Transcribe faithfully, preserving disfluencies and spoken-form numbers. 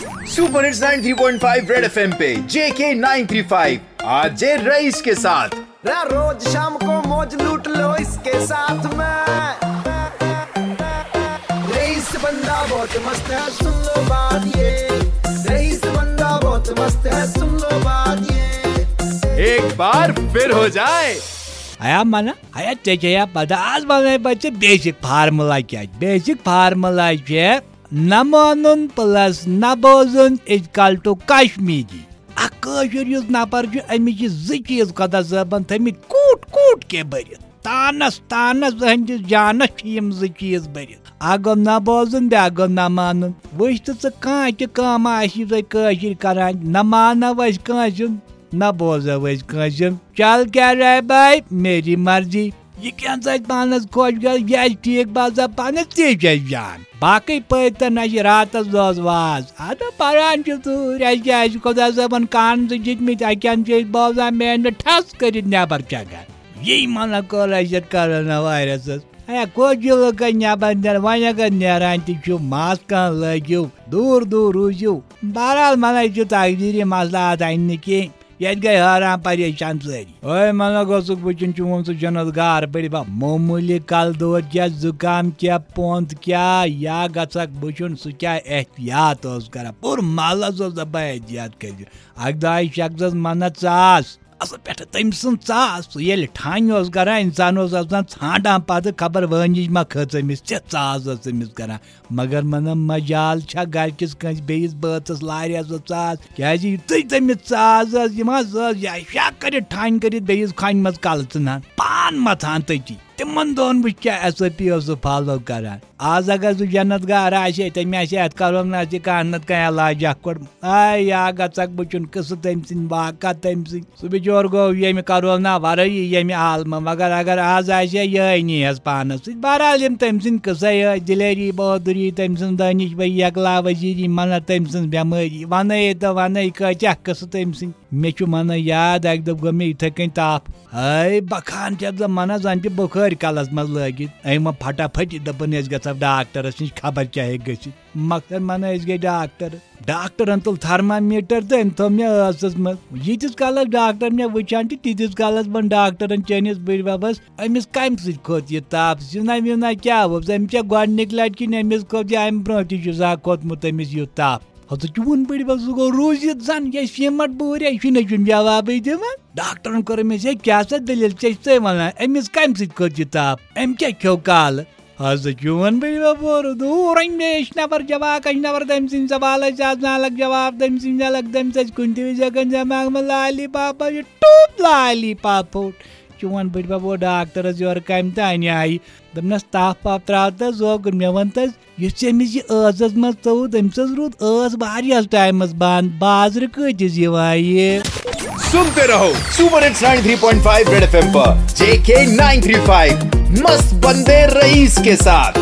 Super hits ninety three point five red FM पे JK nine three five, RJ Rais के साथ। रा रोज शाम को मौज लूट लो इसके साथ में। रईस बंदा बहुत मस्त है, सुन लो बात ये। रईस बंदा बहुत मस्त है, सुन लो बात ये। एक बार फिर हो जाए। ہیا منہ، ہیا ژےٚ چھےٚ یا پتہ آز ونَے بہٕ ژےٚ بیسک فارمولا کیٛاہ چھِ؟ بیسک فارمولا چھِ نہ مانُن پلس نہ بوزُن is equal to کشمیری۔ اکھ کٲشُر یُس نفر چھُ، أمِس چھِ زٕ چیٖز خۄدا صٲبن تھٲمٕتۍ کوٗٹ کوٗٹ کے بٔرِتھ۔ تانس تانس أہنٛدِس جانس چھِ یِم زٕ چیٖز بٔرِتھ۔ اکھ گوٚو نہ بوزُن، بیٛاکھ گوٚو نہ مانُن۔ وٕچھ تہٕ ژٕ کانٛہہ تہِ کٲم آسہِ یہِ تۄہہِ کٲشِر کران، نہ مانو أسۍ کٲنٛسہِ ہُنٛد، نہ بوزو أسۍ کٲنٛسہِ ہُنٛد۔ چل کیا رے بھائی، میری مرضی۔ یہِ کینٛہہ ژٕ اَتہِ پانس خۄش گژھِ، یہِ آسہِ ٹھیٖک باسان پانس، تی چھُ اَسہِ جان۔ باقٕے پٔرۍ تہٕ نہ چھِ راتس دۄہس واز۔ اَدٕ پران چھِ ژوٗرۍ، اَسہِ کیٛاہ، اَسہِ چھِ خۄدا صٲبن کان زٕ دِتمٕتۍ، اَکہِ اَنٛدٕ چھِ أسۍ بوزان، مین چھِ ٹھس کٔرِتھ نٮ۪بر چھکان۔ یی منہ کوٚر اَسہِ یَتھ کرونا وایرسس۔ ہے، کوٚت چھِ لُکن نٮ۪بر نیران؟ وۄنۍ اگر نیران تہِ چھِو، ماسکہٕ لٲگِو، دوٗر دوٗر روٗزِو۔ بہرحال، منہ چھُ تقدیٖری مسلہٕ اَتھ اَنہِ نہٕ کینٛہہ۔ ییٚتہِ گٔے حٲران پریشان سٲری۔ اوے منہ گوٚژھُکھ وٕچھُن چون سُہ جنت گار بٔڑِ بب، معموٗلی کلہٕ دود کیٛاہ، زُکام کیٛاہ، پونٛد کیٛاہ، یا گژھکھ وٕچھُن سُہ کیٛاہ احتیاط اوس کران۔ پوٗرٕ محلس اوس دپان احتیاط کٔرِو۔ اکہِ دۄہ آیہِ شخصس منہ ژاس، اصل پٮ۪ٹھٕ تٔمۍ سٕنٛز ژاس۔ سُہ ییٚلہِ ٹھانہِ اوس کران، انسان اوس آسان ژھانڈان پتہٕ خبر وٲنِج ما کھٔژ أمِس، تِژھ ژاس ٲس أمِس کران۔ مگر منہ مجال چھا گرِ کِس کٲنٛسہِ بیٚیِس بٲژس لاریس ٲس ژاس؟ کیٛازِ یُتھُے تٔمِس ژاس ٲس یِوان، سۄ ٲس یا شاہ کٔرِتھ ٹھانہِ کٔرِتھ بیٚیِس کھانہِ منٛز کلہٕ ژٕنان، پان متھان تٔتی۔ تِمن دۄہن وٕچھ کیٛاہ ایس او پی اوس سُہ فالو کران۔ آز اگر سُہ جنت گار آسہِ ہے، تٔمۍ آسہِ ہے اتھ کرونا تہِ کانٛہہ نتہٕ کانٛہہ علاج اکھ کوٚڑمُت۔ آے یا گژھکھ بہٕ چھُن قصہٕ تٔمۍ سٕنٛدۍ، واقعہ تٔمۍ سٕنٛدۍ۔ سُہ بِچور گوٚو ییٚمہِ کرونا ورٲیی ییٚمہِ عالمہٕ، مگر اگر آز آسہِ ہے یِہوٚے نیٖہَس پانَس سۭتۍ۔ بہرحال یِم تٔمۍ سٕنٛدۍ قٕصَے ٲسۍ، دلیری بہادری تٔمۍ سٕنٛز، دٲنِش بھائی یکلا وزیری، منہ تٔمۍ سٕنٛز بٮ۪مٲری۔ وَنَے تہٕ وَنَے کۭتیٛاہ قٕصہٕ تٔمۍ سٕنٛدۍ۔ مےٚ چھُ منہ یاد، اَکہِ دۄہ گوٚو مےٚ یِتھَے کٔنۍ تاپھ۔ ہاے بَکھان چھَس بہٕ منہ زَن تہِ بُخٲرۍ کَلَس منٛز لٲگِتھ۔ أمۍ ووٚن پھٹا پھٹی، دوٚپُن أسۍ گژھو ڈاکٹرَس نِش، خبر کیٛاہ ہیٚکہِ گٔژھِتھ۔ مۄخصر منہ أسۍ گٔے ڈاکٹر۔ ڈاکٹرن تُل تھرمامیٹر تہٕ أمۍ تھوٚو مےٚ ٲسس منٛز۔ ییٖتِس کالس ڈاکٹر مےٚ وٕچھان چھِ، تیٖتِس کالس ووٚن ڈاکٹرن چٲنِس بٕڈۍ ببس، أمِس کمہِ سۭتۍ کھوٚت یہِ تاپھ؟ سِنا وِنا کیٛاہ اوس؟ أمِس چھےٚ گۄڈٕنِکۍ لٹہِ کِنۍ أمِس کھوٚت یا اَمہِ برونٛہہ تہِ چھُ زانٛہہ کھوٚتمُت أمِس یُتھ تاپھ؟ ہتہٕ چون بٕڈۍ بب سُہ گوٚو روٗزِتھ زن، یہِ سیٖمٹ بوٗرۍ، یہِ چھُنہٕ چھُنہٕ جوابٕے دِوان۔ ڈاکٹرن کوٚر أمِس، ہے کیٛاہ سا دٔلیٖل، ژےٚ چھِ ژے ونان أمِس کمہِ سۭتۍ کھوٚت یہِ تاپھ؟ أمۍ کیٛاہ کھیوٚو کالہٕ؟ از چون بڑی بابور دور اندیش نفر جواک اش نفر تم سن سوال اس از نالک جواب تم سن نالک تم سچ کنتی وجہ کن جمع ملالی پاپا یہ ٹوپ لالی پاپوٹ۔ چون بڑی بابو ڈاکٹرس یور کم تہ انیائی۔ دپنس تاپھ پاپھ تراو تس زوگُن مےٚ ون تس یُس ژےٚ أمِس یہِ ٲسس منٛز ژوٚوُت أمِس حظ روٗد ٲس واریاہس ٹایمس بند بازرٕ کۭتِس یِوان یہِ۔ सुनते रहो super hits ninety three point five red FM पर जेके नाइन थ्री फ़ाइव मस्त बंदे रईस के साथ।